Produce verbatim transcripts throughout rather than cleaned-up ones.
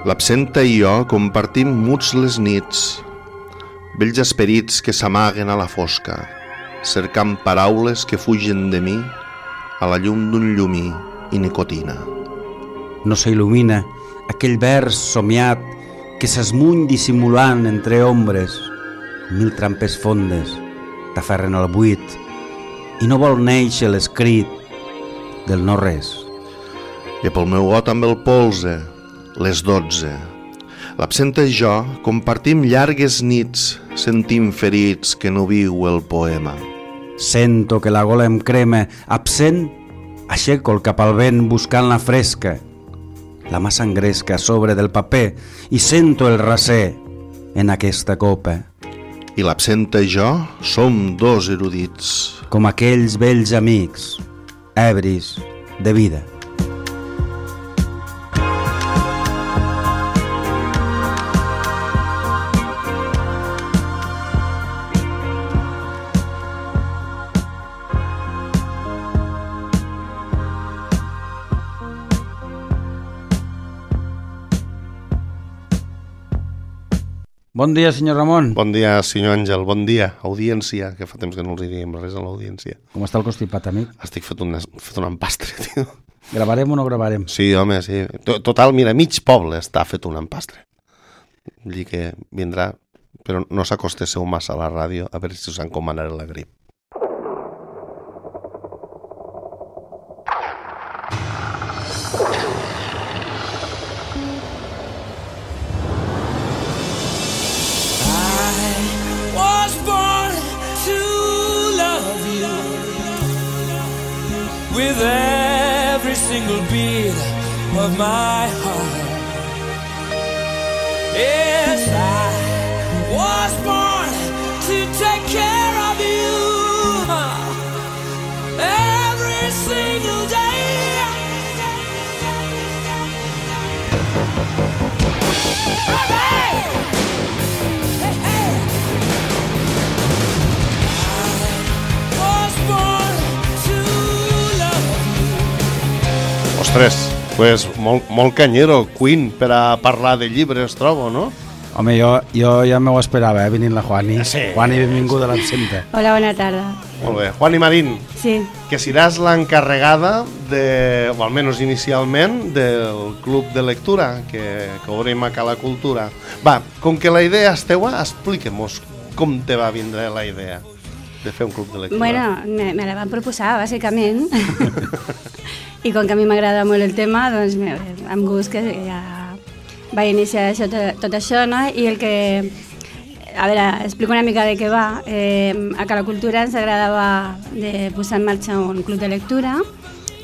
L'absenta i jo compartim muts les nits, vells esperits que s'amaguen a la fosca, cercant paraules que fugen de mi a la llum d'un llumí i nicotina. No s'il·lumina aquell vers somiat que s'esmuny dissimulant entre ombres. Mil trampes fondes t'aferren al buit i no vol néixer l'escrit del no res. I pel meu got amb el polze, les dotze. L'absenta i jo compartim llargues nits, sentim ferits que no viu el poema. Sento que la gola em crema, absent, aixeco el cap al vent buscant la fresca. La mà s'engresca a sobre del paper i sento el raser en aquesta copa. I l'absenta i jo som dos erudits. Com aquells vells amics, ebris de vida. Bon dia, senyor Ramon. Bon dia, senyor Àngel. Bon dia, audiència, que fa temps que no els diríem res a l'audiència. Com està el constipat, amic? Estic fet un, fet un empastre, tio. Gravarem o no gravarem? Sí, home, sí. Total, mira, mig poble està fet un empastre. Vull dir que vindrà, però no s'acostesseu massa a la ràdio, a veure si us encomanaré la grip. With every single beat of my heart. Yes, I was born to take care of you every single day. Hey, hey, hey. I was born. Ostres, pues molt, molt canyero, Queen, per a parlar de llibres, trobo, no? Home, jo, jo ja m'ho esperava, eh, venint la Juani. Sí. Juani, benvinguda a l'absenta. Hola, bona tarda. Molt bé. Juani Marín, Sí. que seràs l'encarregada, de, o almenys inicialment, del club de lectura que, que obrim a Cala Cultura. Va, com que la idea és teua, expliquem-nos com te va vindre la idea de fer un club de lectura. Bueno, me, me la van proposar, bàsicament. I com que a mi m'agrada molt el tema, doncs me, amb gust que ja vaig iniciar això, tot, tot això, no? I el que... A veure, explico una mica de què va. Eh, a Cala Cultura ens agradava de posar en marxa un club de lectura,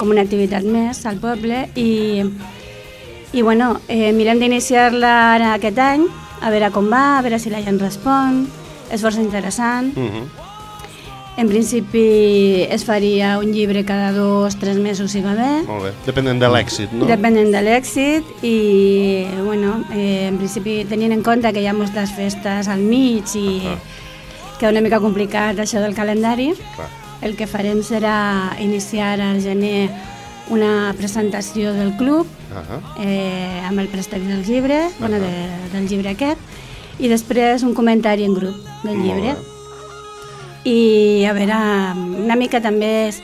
com una activitat més al poble, i, i bueno, eh, mirem d'iniciar-la ara aquest any, a veure com va, a veure si la gent respon, és força interessant. Uh-huh. En principi es faria un llibre cada dos, tres mesos si va bé. Molt bé, depenent de l'èxit, no? Depenent de l'èxit i, bueno, eh, en principi tenint en compte que hi ha moltes festes al mig i uh-huh. queda una mica complicat això del calendari. Clar. El que farem serà iniciar al gener una presentació del club uh-huh. eh, amb el préstec del llibre, uh-huh. bueno, de, del llibre aquest, i després un comentari en grup del llibre. I a veure, una mica també és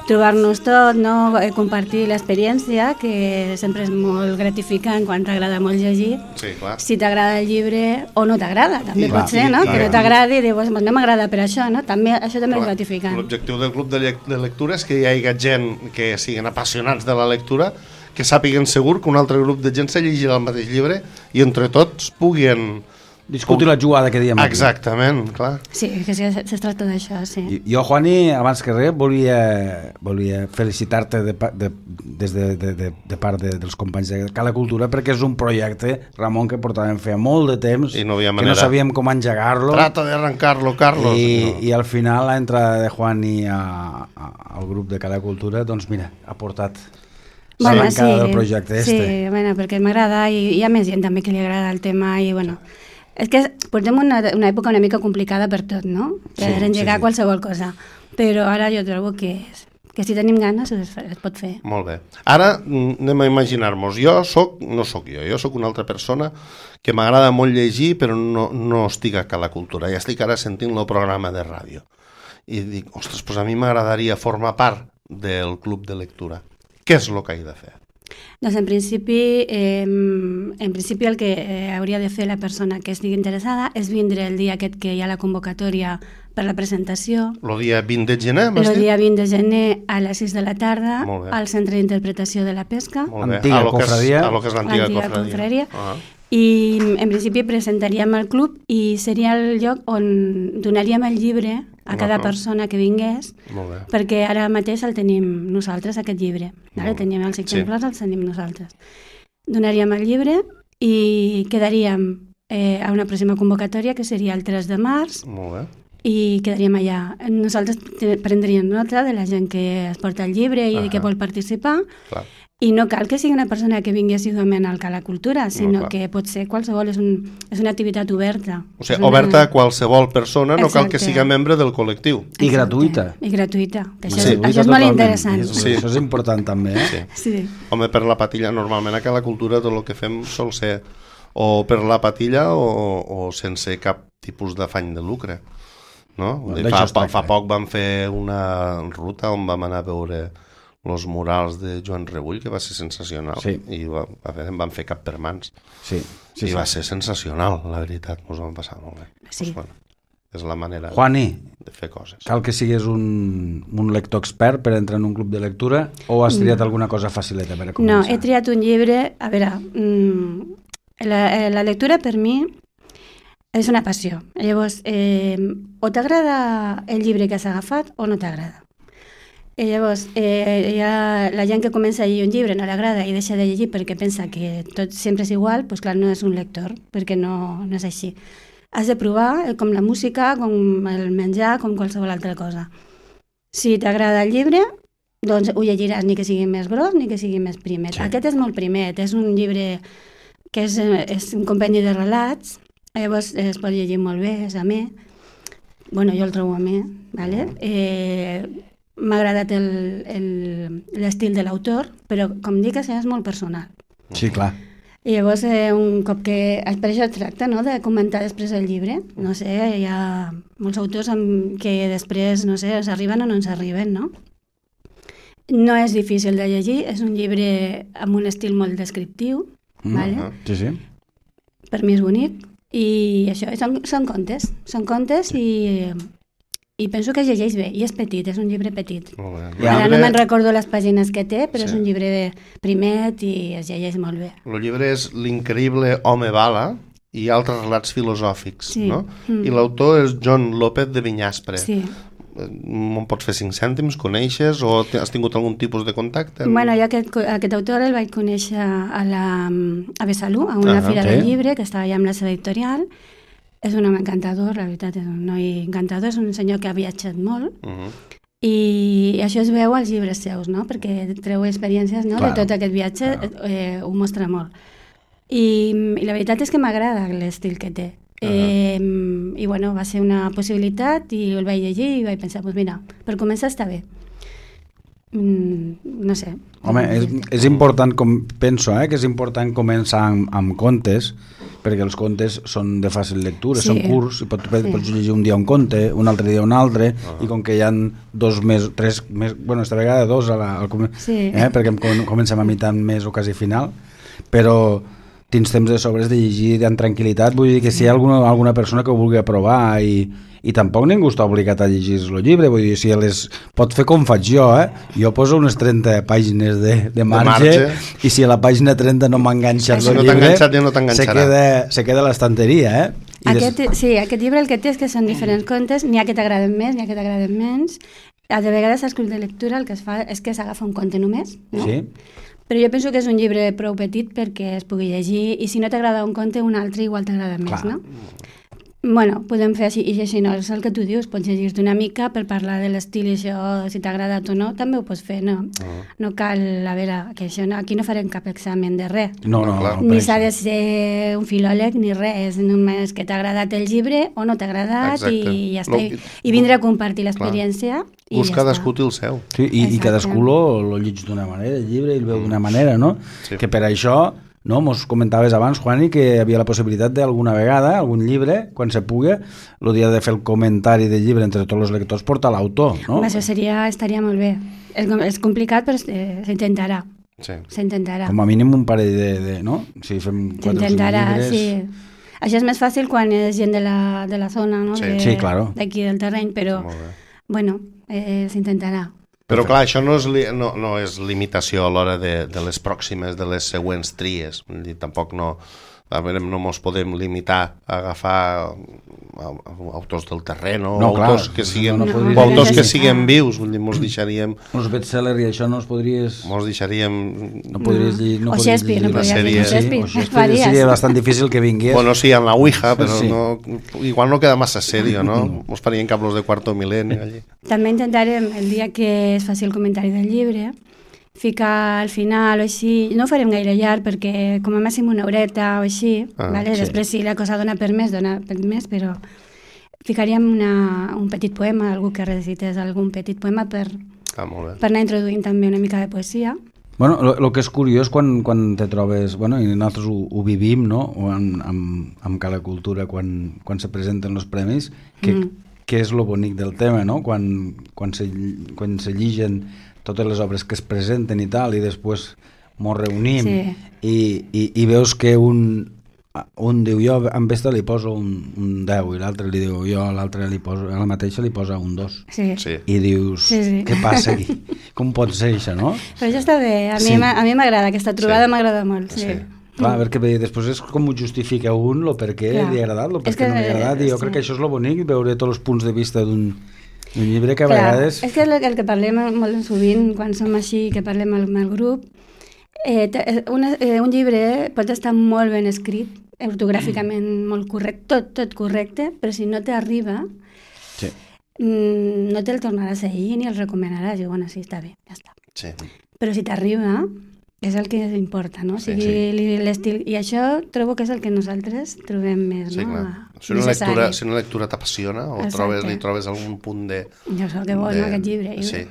trobar-nos tot, no? Compartir l'experiència, que sempre és molt gratificant quan t'agrada molt llegir. Sí, clar. Si t'agrada el llibre o no t'agrada, també clar, pot ser, no? Sí, que no t'agradi i dius, no m'agrada per això, no? També, això també clar, és gratificant. L'objectiu del club de, le de lectura és que hi hagi gent que siguin apassionats de la lectura, que sàpiguen segur que un altre grup de gent se llegirà el mateix llibre i entre tots puguin... Discutir la jugada que diem aquí. Exactament, clar. Sí, que sí, es tracta d'això, sí. Jo, Juani, abans que res, volia, volia felicitar-te de, de, des de, de, de, de part de, dels companys de Cala Cultura, perquè és un projecte, Ramon, que portàvem fer molt de temps, I no havia que manera. no sabíem com engegar-lo. Trata de arrancar-lo, Carlos. I, no. I al final la entrada de Juani a, a, al grup de Cala Cultura, doncs mira, ha portat bueno, l'arrencada sí, del projecte este. Sí, bueno, perquè m'agrada i hi ha més gent també que li agrada el tema i bueno... És que portem una, una època una mica complicada per tot, no? Per sí, engegar sí, sí. qualsevol cosa. Però ara jo trobo que és, que si tenim ganes es, es pot fer. Molt bé. Ara anem a imaginar-nos. Jo soc, no sóc jo, jo sóc una altra persona que m'agrada molt llegir, però no, no estic a la cultura. Ja estic ara sentint el programa de ràdio. I dic, ostres, doncs a mi m'agradaria formar part del club de lectura. Què és el que he de fer? Doncs en principi, eh, en principi el que eh, hauria de fer la persona que estigui interessada és vindre el dia aquest que hi ha la convocatòria per la presentació. El dia vint de gener, m'has dit? El dia vint de gener a les sis de la tarda al Centre d'Interpretació de la Pesca. Molt bé. Antiga confraria. A lo que és l'antiga confraria. confraria. Ah. I en principi presentaríem el club i seria el lloc on donaríem el llibre a cada persona que vingués, perquè ara mateix el tenim nosaltres, aquest llibre. Ara tenim els exemplars, sí. Els tenim nosaltres. Donaríem el llibre i quedaríem eh, a una pròxima convocatòria, que seria el tres de març, molt bé. I quedaríem allà. Nosaltres prendríem nota de la gent que es porta el llibre i uh -huh. que vol participar. Clar. I no cal que sigui una persona que vingui assiduament al Cala Cultura, sinó no, que pot ser qualsevol, és, un, és una activitat oberta. O sigui, una... oberta a qualsevol persona, no Exacte. Cal que siga membre del col·lectiu. I gratuïta. I gratuïta, que això, sí, és, això és molt interessant. Sí. Això és important també, eh? Sí. Sí. Home, per la patilla, normalment a Cala Cultura tot el que fem sol ser o per la patilla o, o sense cap tipus d'afany de lucre. No? Bueno, fa, fa, fa poc vam fer una ruta on vam anar a veure els murals de Joan Rebull, que va ser sensacional. Sí. I va, a veure, em van fer cap per mans. Sí. Sí, I sí. va ser sensacional, la veritat. Ens vam passar molt bé. Sí. Pues, bueno, és la manera Juani, de fer coses. Cal que siguis un, un lector expert per entrar en un club de lectura o has triat no. alguna cosa facileta per a començar? No, he triat un llibre... A veure, mmm, la, la lectura per mi és una passió. Llavors, eh, o t'agrada el llibre que has agafat o no t'agrada. I llavors, eh, ha, la gent que comença a llegir un llibre no l'agrada i deixa de llegir perquè pensa que tot sempre és igual, doncs clar, no és un lector, perquè no, no és així. Has de provar, com la música, com el menjar, com qualsevol altra cosa. Si t'agrada el llibre, doncs ho llegiràs, ni que sigui més gros ni que sigui més primet. Sí. Aquest és molt primet, és un llibre que és, és un compendi de relats, llavors es pot llegir molt bé, és amè. Bueno, jo el trobo amè, ¿vale? Eh, m'ha agradat l'estil de l'autor, però com dic, és molt personal. Sí, clar. I llavors, eh, un cop que... Per això es tracta, no?, de comentar després el llibre. No sé, hi ha molts autors amb que després, no sé, ens arriben o no ens arriben, no? No és difícil de llegir, és un llibre amb un estil molt descriptiu, mm, ¿vale? Uh-huh. Sí, sí. Per mi és bonic. I això, són, són contes, són contes i... I penso que es llegeix bé, i és petit, és un llibre petit. Ara no me'n recordo les pàgines que té, però sí. És un llibre primet i es llegeix molt bé. El llibre és L'increïble home bala i altres relats filosòfics, sí. No? Mm. I l'autor és John López de Vinyaspre. Sí. Me'n pots fer cinc cèntims, coneixes o has tingut algun tipus de contacte? Bueno, jo aquest, aquest autor el vaig conèixer a, la, a Besalú, a una uh-huh. fira sí. del llibre, que estava allà amb la seva editorial. És un home encantador, la veritat, és un noi encantador, és un senyor que ha viatjat molt uh-huh. i això es veu als llibres seus, no? Perquè treu experiències, no? de tot aquest viatge, eh, ho mostra molt. I, i la veritat és que m'agrada l'estil que té. Uh-huh. Eh, I bueno, va ser una possibilitat i el vaig llegir i vaig pensar, doncs mira, per començar està bé. Mm, no sé. Home, és, és important, com penso, eh, que és important començar amb, amb contes, perquè els contes són de fàcil lectura, sí. Són curts, i pots, sí. pots llegir un dia un conte, un altre dia un altre, uh-huh. i com que hi ha dos més, tres més, bueno, esta vegada dos a la, al sí. eh, perquè comencem a mitjà més o quasi final, però tens temps de sobres de llegir amb tranquil·litat, vull dir que si hi ha alguna, alguna persona que ho vulgui aprovar i, i tampoc ningú està obligat a llegir el llibre, vull dir, si les, pot fer com faig jo, eh? Jo poso unes trenta pàgines de, de, marge, de marge i si a la pàgina trenta no m'ha enganxat si el no llibre, ja no se, queda, se queda a l'estanteria, eh? Aquest, des... Sí, aquest llibre el que té és que són diferents contes, n'hi ha que t'agraden més, n'hi ha que t'agraden menys. A de vegades als clubs de lectura el que es fa és que s'agafa un conte només, no? Sí. Però jo penso que és un llibre prou petit perquè es pugui llegir i si no t'agrada un conte, un altre igual t'agrada més, clar. No? Bueno, podem fer així, i així no, és el que tu dius, pots llegir-te una mica per parlar de l'estil i això, si t'ha agradat o no, també ho pots fer, no? Uh-huh. No cal, a veure, que això no, aquí no farem cap examen de res. No, no, clar, ni s'ha de ser un filòleg ni res, només que t'ha agradat el llibre o no t'ha agradat. Exacte. I ja està. No, I vindre a compartir l'experiència I Us ja cadascú està. té el seu. Sí, i, i Exacte. cadascú lo, lo llig d'una manera, el llibre, i el veu d'una manera, no? Sí. Que per això, no, mos comentaves abans, Juani, que hi havia la possibilitat d'alguna vegada, algun llibre, quan se pugui, el dia de fer el comentari del llibre entre tots els lectors, portar l'autor, no? Home, això seria, estaria molt bé. És, com- és complicat, però eh, s'intentarà. Sí. S'intentarà. Com a mínim un parell de... de no? Si fem quatre o cinc S'intentarà, llibres... sí. Això és més fàcil quan és gent de la, de la zona, no? Sí. De- Sí, claro. D'aquí del terreny, però, Molt bé. bueno, eh, s'intentarà. Però clar, això no és, li, no, no és limitació a l'hora de, de les pròximes, de les següents tries. Vull dir, tampoc no, a veure, no ens podem limitar a agafar a, a, autors del terreny o No, clar, autors que siguen, no, no o podries autors dir. que siguen vius. Vull dir, mos deixaríem, Els bestsellers i això no els podries... mos deixaríem No podries llegir... No O podries Shakespeare, llegir no la podries sèrie, llegir sí, Shakespeare. o Shakespeare Faries. seria bastant difícil que vingués. Bueno, sí, en la Ouija, però Sí. no, igual no queda massa serio, no? Mos farien cablos de cuarto milenio allí. També intentarem, el dia que es faci el comentari del llibre, ficar al final o així, no ho farem gaire llarg perquè com a màxim una horeta o així, Ah, vale? sí. Després si la cosa dona per més, dona per més, però ficaríem una, un petit poema, algú que recités algun petit poema per, Ah, molt bé. per anar introduint també una mica de poesia. Bueno, el que és curiós quan, quan te trobes, bueno, i nosaltres ho, ho vivim, no?, o amb, amb, amb cada cultura, quan, quan se presenten els premis, que, Mm. que és lo bonic del tema, no?, quan, quan, se, quan se lligen totes les obres que es presenten i tal, i després mos reunim, Sí. i, i, i veus que un, un diu, jo amb esta li poso un, un deu, i l'altre li diu, jo a l'altre li poso, a la mateixa li posa un dos. Sí. Sí. I dius, Sí, sí. què passa aquí? Com pot ser això, no? Però això està bé, a mi Sí. m'a- a mi m'agrada, aquesta trobada Sí. m'agrada molt. Sí. Sí. Clar, perquè bé, després és com ho justifica un, lo per què Clar. li ha agradat, lo per És què que, no li ha agradat, i jo sí. crec que això és lo bonic, veure tots els punts de vista d'un d'un llibre que a Clar, vegades... és que el, el que parlem molt sovint quan som així, que parlem amb el grup, eh, te- una, eh, un llibre pot estar molt ben escrit, ortogràficament molt correcte, tot, tot correcte, però si no t'arriba, Sí. mm, no te'l tornaràs a llegir ni el recomanaràs. I bueno, sí, està bé, ja està. Sí. Però si t'arriba, és el que importa, no? O Sí, sigui, li- l'estil... I això trobo que és el que nosaltres trobem més, Sí, no? clar. Si una Necessari. lectura, si una lectura t'apassiona o Exacte. trobes, li trobes algun punt de... Jo sé que vol, de- no, aquest llibre. I- Sí.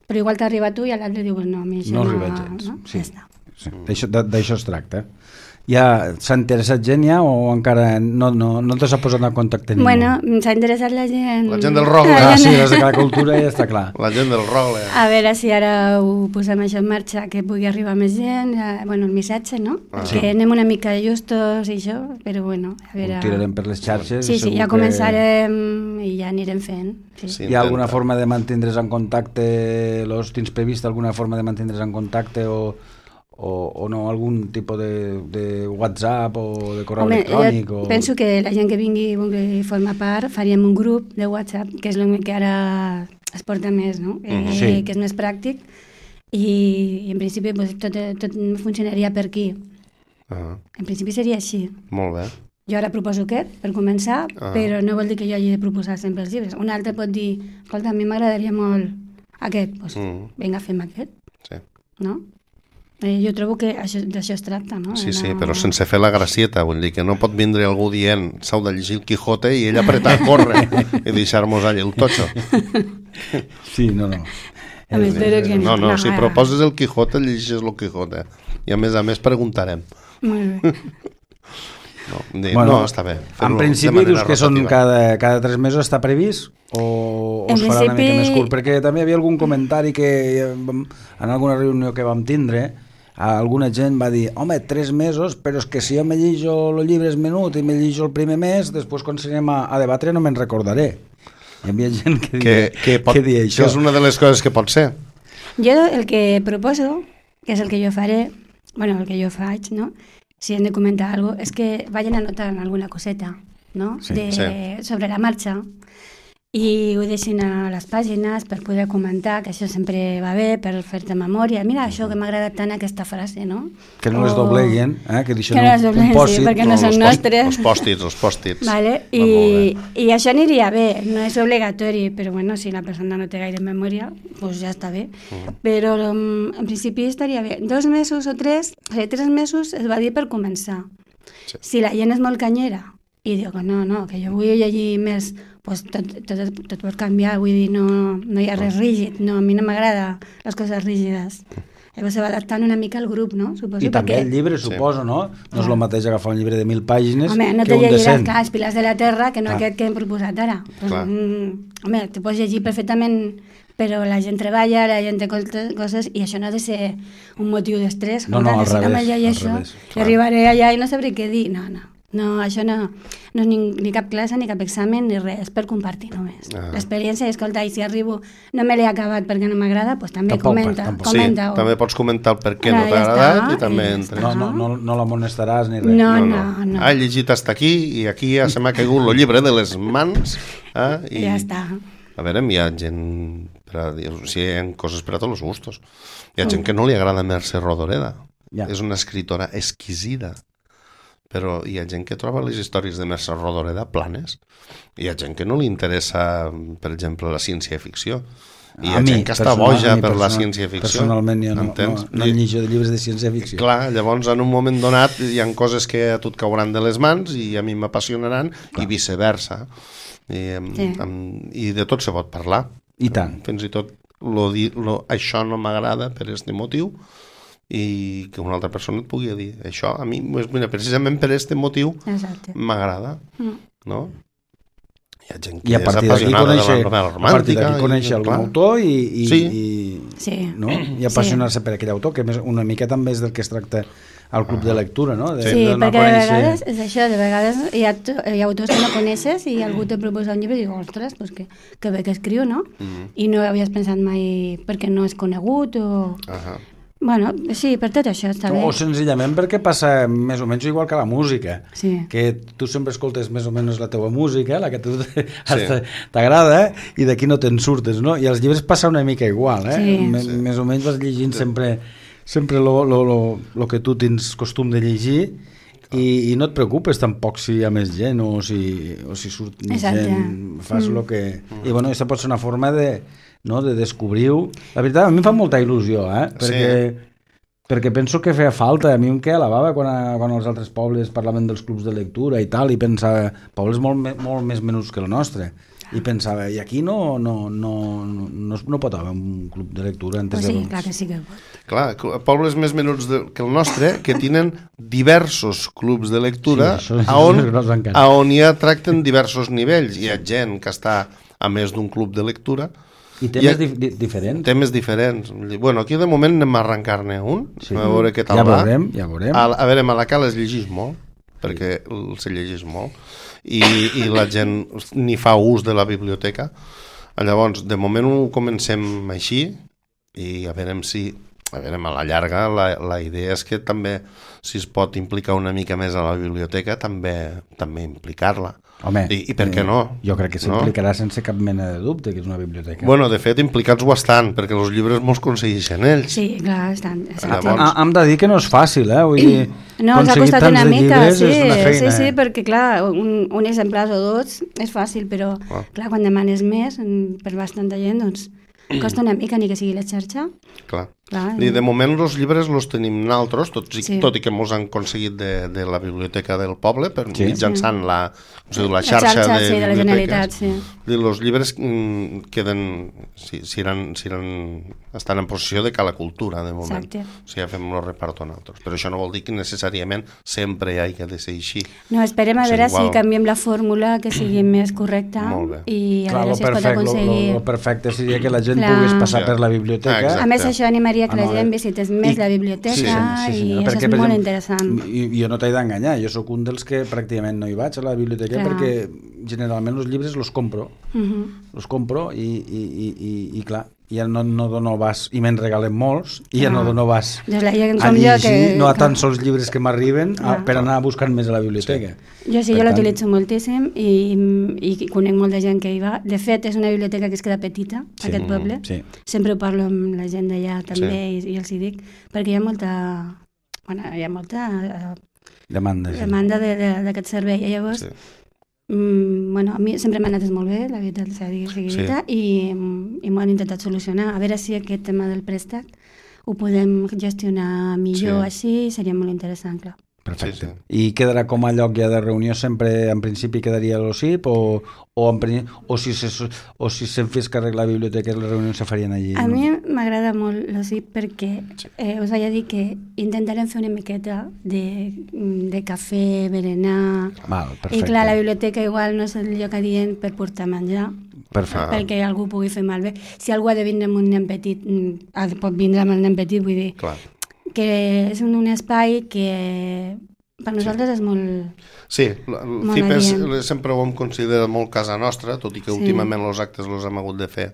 Però igual t'arriba a tu i a l'altre dius, no, a mi això No no... arriba gens, no? sí. Ja està. Sí. D'això de- d'això es tracta. Ja s'ha interessat gent ja o encara no, no, no te s'ha posat en contacte ningú? Bueno, s'ha interessat la gent... La gent del rock, La Ah, gent sí, de- les de cada cultura ja està clar. La gent del rock, eh? A veure si ara ho posem això en marxa, que pugui arribar més gent, eh, bueno, el missatge, no? Ah. Que Sí. anem una mica justos i això, però bueno, a veure... Ho tirarem per les xarxes. Sí, sí, segur ja que començarem i ja anirem fent. Sí. Sí. Hi ha alguna intenta. forma de mantindre's en contacte, los tens previst alguna forma de mantindre's en contacte o, o, o no, algun tipus de, de WhatsApp o de correu Home, electrònic? jo O... penso que la gent que vingui i vulgui formar part faríem un grup de WhatsApp, que és el que ara es porta més, no? Eh, Mhm. Sí. Que és més pràctic i, i en principi pues, tot, tot funcionaria per aquí. Ah, En principi seria així. molt bé. Jo ara proposo aquest, per començar, Ah. però no vol dir que jo hagi de proposar sempre els llibres. Un altre pot dir, escolta, a mi m'agradaria molt aquest, doncs Mm. vinga, fem aquest, Sí, no? Eh, jo trobo que això- d'això es tracta, no? sí, De sí, no- però sense fer la gracieta, vull dir que no pot vindre algú dient s'heu de llegir el Quijote i ell apretar a córrer i deixar-nos allà el totxo. Sí, no, no. A més, espero que No, no, No, si eh. proposes el Quijote, llegeixes el Quijote. I a més a més preguntarem. Molt bé. No, dir, no està bé. En fer-ho de principi manera dius que són rotativa. cada, cada tres mesos està previst o, o En es farà una mica principi- més curt? Perquè també hi havia algun comentari que eh, vam- en alguna reunió que vam tindre alguna gent va dir, home, tres mesos, però és que si jo me llijo els llibres menut i me llijo el primer mes, després quan s'anem a, a debatre no me'n recordaré. Hi havia gent que Que, dia, que, pot, que dia que això. és una de les coses que pot ser. Jo el que proposo, que és el que jo faré, bueno, el que jo faig, no? Si hem de comentar alguna cosa, és que vagin anotant alguna coseta, no? Sí, de, sí. sobre la marxa i ho deixin a les pàgines per poder comentar, que això sempre va bé, per fer-te memòria. Mira, això que m'ha agradat tant aquesta frase, no? Que no les O- dobleguen, eh? que deixen Que no les un, dobleguen, un sí, pòsit. perquè no els són post- nostres. Els pòstits, els pòstits. Vale? Va molt I, bé. I això aniria bé, no és obligatori, però bueno, si la persona no té gaire memòria, doncs ja està bé. Però um, en principi estaria bé. Dos mesos o tres, o sigui, tres mesos es va dir per començar. Sí. Si la gent és molt canyera i diu que no, no, que jo vull llegir més, pues tot, tot, tot pot canviar, vull dir, no, no hi ha res rígid, no, a mi no m'agrada les coses rígides. Llavors se va adaptant una mica al grup, no? Suposo, I també perquè... el llibre, suposo, no? No és el mateix agafar un llibre de mil pàgines home, no que te un de llegiràs, cent. clar, els pilars de la terra, que no Clar. aquest que hem proposat ara. Pues, Clar. mm, home, te pots llegir perfectament, però la gent treballa, la gent té coses, i això no ha de ser un motiu d'estrès. No, no, al si revés, no me llegeixo, al revés, i clar. arribaré allà i no sabré què dir. No, no. No, això no, no és ni, ni cap classe, ni cap examen, ni res, és per compartir només. Ah. L'experiència, i escolta, i si arribo, no me l'he acabat perquè no m'agrada, doncs també Tampoc, comenta, tampoc. comenta. Sí, també pots comentar el per què Ah, no t'ha ja agradat està, i també i ja entres. No, no, no, no l'amonestaràs ni res. No, No, no, no. no. Ha llegit hasta aquí i aquí ja se m'ha caigut el llibre de les mans. Eh? I, Ja està. A veure, hi ha gent... Per a dir, o sigui, hi ha coses per a tots els gustos. Hi ha gent que no li agrada Mercè Rodoreda. Ja. És una escritora exquisida. Però hi ha gent que troba les històries de Mercè Rodoreda planes. Hi ha gent que no li interessa, per exemple, la ciència-ficció. I hi ha A mi, gent que està personal- boja a mi per la personal- ciència-ficció. Personalment jo no, no, Entens? no I- llegeixo de llibres de ciència-ficció. Clar, llavors en un moment donat hi ha coses que a tu et cauran de les mans i a mi m'apassionaran i viceversa. I, em, Sí. em, I de tot se pot parlar. I tant. Fins i tot lo, di- lo, això no m'agrada per aquest motiu i que una altra persona et pugui dir això a mi, pues, mira, precisament per aquest motiu Exacte. m'agrada, Mm. no? Hi ha gent que I a és partir d'aquí apassionada de conèixer, la novel·la a partir romàntica. d'aquí conèixer i, algun clar, autor i, i, Sí. i, Sí. no? I apassionar-se per aquell autor, que més, una mica també és del que es tracta al club de lectura, no? De, Sí, de donar a perquè de conèixer- vegades és això, de vegades hi ha, to- hi ha autors que no coneixes i algú te proposa un llibre i dius, ostres, pues que, que bé que escriu, no? Mhm. I no havies pensat mai perquè no és conegut o... Ahà. Bueno, sí, per tot això està bé. O senzillament perquè passa més o menys igual que la música, Sí. que tu sempre escoltes més o menys la teva música, la que a tu sí. t'agrada, i d'aquí no te'n surtes, no? I els llibres passa una mica igual, eh? Sí. M- Sí. Més o menys vas llegint sempre sempre lo, lo, lo, lo que tu tens costum de llegir i, i no et preocupes tampoc si hi ha més gent o si, o si surt més Exacte. gent, fas Mm. el que... I bueno, aquesta pot ser una forma de, no, de descobrir-ho. La veritat, a mi em fa molta il·lusió, eh? Perquè, Sí. perquè penso que feia falta. A mi em queia la bava quan, a, quan els altres pobles parlaven dels clubs de lectura i tal, i pensava, pobles molt, me- molt més menuts que el nostre, i pensava, i aquí no, no, no, no, no, no pot haver un club de lectura antes Pues sí, de... clar que sí que pot. Clar, cl- pobles més menuts de, que el nostre que tenen diversos clubs de lectura Sí, això és- a on, això és gros encara. a on ja tracten diversos nivells. Hi ha gent que està a més d'un club de lectura, I Hi temes ha- di di diferents. temes diferents. Bueno, aquí de moment anem a arrencar-ne un, Sí. a veure què tal Ja va. veurem, ja veurem. A, a veure, a Malacà es llegeix molt, perquè el- se llegeix molt, i, i la gent ni fa ús de la biblioteca. Llavors, de moment ho comencem així, i a veure si, a veure, a la llarga, la, la idea és que també, si es pot implicar una mica més a la biblioteca, també també implicar-la. Home, I, I per què no? Jo crec que No? s'implicarà sense cap mena de dubte que és una biblioteca. Bueno, de fet, implicats bastant, perquè els llibres molts consegueixen ells. Sí, clar, estan, exacte. Llavors- Ah, hem de dir que no és fàcil, eh? Vull dir, No, ens ha aconseguir costat tants una de mica, llibres sí, és una feina. sí, sí, eh? perquè clar, un, un exemplar o dos és fàcil, però Ah. clar, quan demanes més mm, per bastanta gent, doncs costa una mica, ni que sigui la xarxa. Clar. Clar, I de moment els llibres els tenim naltros, tot, i, Sí. tot i que mos han aconseguit de, de la biblioteca del poble, per Sí. mitjançant la, o sigui, la La xarxa, xarxa, de sí, de la biblioteques. Generalitat, sí. I els llibres mm, queden, si, si eren, si eren, estan en possessió de Cala Cultura, de moment. Exacte. O sigui, ja fem el reparto nosaltres. Però això no vol dir que necessàriament sempre hi hagi de ser així. No, esperem a Sí, veure igual. si canviem la fórmula que sigui més correcta Molt bé. i a Clar, veure lo si es pot perfecte, lo, aconseguir. lo, lo perfecte seria que la gent Clar. pogués passar Ja. per la biblioteca. Ah, exacte. A més, això animaria que Ah, la no, gent eh? visités més I- la biblioteca Sí, i senyora, això perquè, és per molt exemple, interessant. I, jo no t'he d'enganyar, jo sóc un dels que pràcticament no hi vaig a la biblioteca Clar. perquè generalment els llibres los compro, Mhm. los compro i, i, i, i, i clar, ja no, no dono vas, i me'n regalen molts, i ja Clar. no dono vas Doncs la gent a com jo llegir, que- no a que- tan sols llibres que m'arriben a- Clar. per anar buscant més a la biblioteca. Jo sí, Per jo tant- l'utilitzo moltíssim i, i conec molta gent que hi va. De fet, és una biblioteca que es queda petita, Sí. aquest poble. Sí. Sempre ho parlo amb la gent d'allà també i, i els hi dic, perquè hi ha molta, bueno, hi ha molta eh, Demanda. Sí. demanda de- de- d'aquest servei. I llavors, Sí. mm, bueno, a mi sempre m'ha anat molt bé, la veritat, sigui Sí. dita, i, i m'ho han intentat solucionar. A veure si aquest tema del préstec ho podem gestionar millor Sí. així, seria molt interessant, clar. Perfecte. Sí, sí. I quedarà com a lloc ja de reunió sempre, en principi quedaria l'O C I P o, o, en, o si se, o si se'n fes càrrec la biblioteca les reunions se farien allí? A no? mi m'agrada molt l'O C I P perquè eh, us vaig a dir que intentarem fer una miqueta de, de cafè, berenar. Val, perfecte. I clar, la biblioteca igual no és el lloc adient per portar menjar. Perfecte. Perquè algú pugui fer malbé. Si algú ha de vindre amb un nen petit, ha de, pot vindre amb el nen petit, vull dir, Clar. que és un, un espai que per nosaltres sí. és molt... Sí, el C I P és, sempre ho hem considerat molt casa nostra, tot i que sí. últimament els actes els hem hagut de fer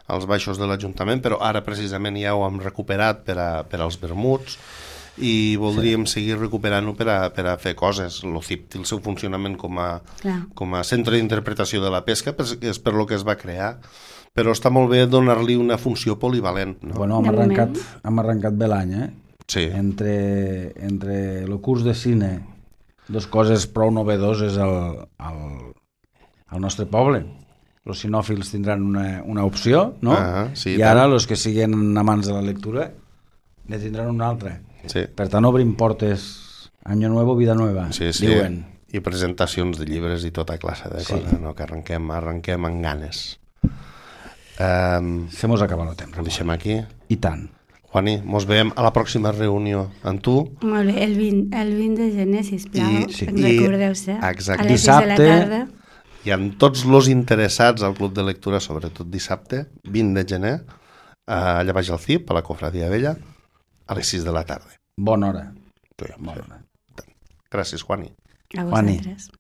als baixos de l'Ajuntament, però ara precisament ja ho hem recuperat per, a, per als vermuts i voldríem sí. seguir recuperant-ho per, a, per a fer coses. El C I P té el seu funcionament com a, com a centre d'interpretació de la pesca, és per lo que es va crear, però està molt bé donar-li una funció polivalent. No? Bueno, hem arrencat, hem arrencat bé l'any, eh? Sí. Entre, entre el curs de cine, dos coses prou novedoses al, al, al nostre poble. Els cinòfils tindran una, una opció, no? Ah, sí, i ara els que siguin amants de la lectura ne tindran una altra. Sí. Per tant, obrim portes, año nuevo, vida nueva, sí, sí. diuen. I presentacions de llibres i tota classe de sí. coses, no? Que arrenquem, arrenquem amb ganes. Um, Se mos acaba el temps. Ho deixem aquí. I tant. Juani, mos veiem a la pròxima reunió amb tu. Molt bé, el vint, el vint de gener, sisplau, I, sí. recordeu-se, exacte. a les sis de la tarda. I amb tots els interessats al Club de Lectura, sobretot dissabte, vint de gener, allà baix al C I P, a la Cofradia Vella, a les sis de la tarda. Bona hora. Sí, Bona hora. Gràcies, Juani. A vosaltres.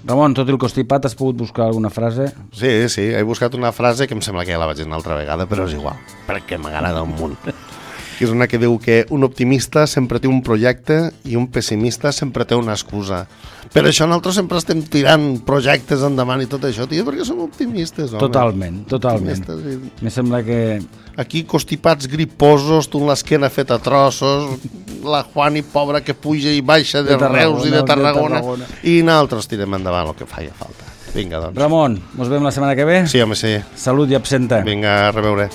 Ramon, tot el constipat, has pogut buscar alguna frase? Sí, sí, he buscat una frase que em sembla que ja la vaig dir una altra vegada, però és igual, perquè m'agrada un munt. Que és una que diu que un optimista sempre té un projecte i un pessimista sempre té una excusa. Per això nosaltres sempre estem tirant projectes endavant i tot això, tio, perquè som optimistes, home. Totalment, totalment. I... Me sembla que... Aquí constipats, griposos, tu amb l'esquena feta a trossos, la Juani pobra que puja i baixa de, de Reus i de Tarragona, de Tarragona, i nosaltres tirem endavant el que faia falta. Vinga, doncs. Ramon, ens veiem la setmana que ve? Sí, home, sí. Salut i absenta. Vinga, a reveure.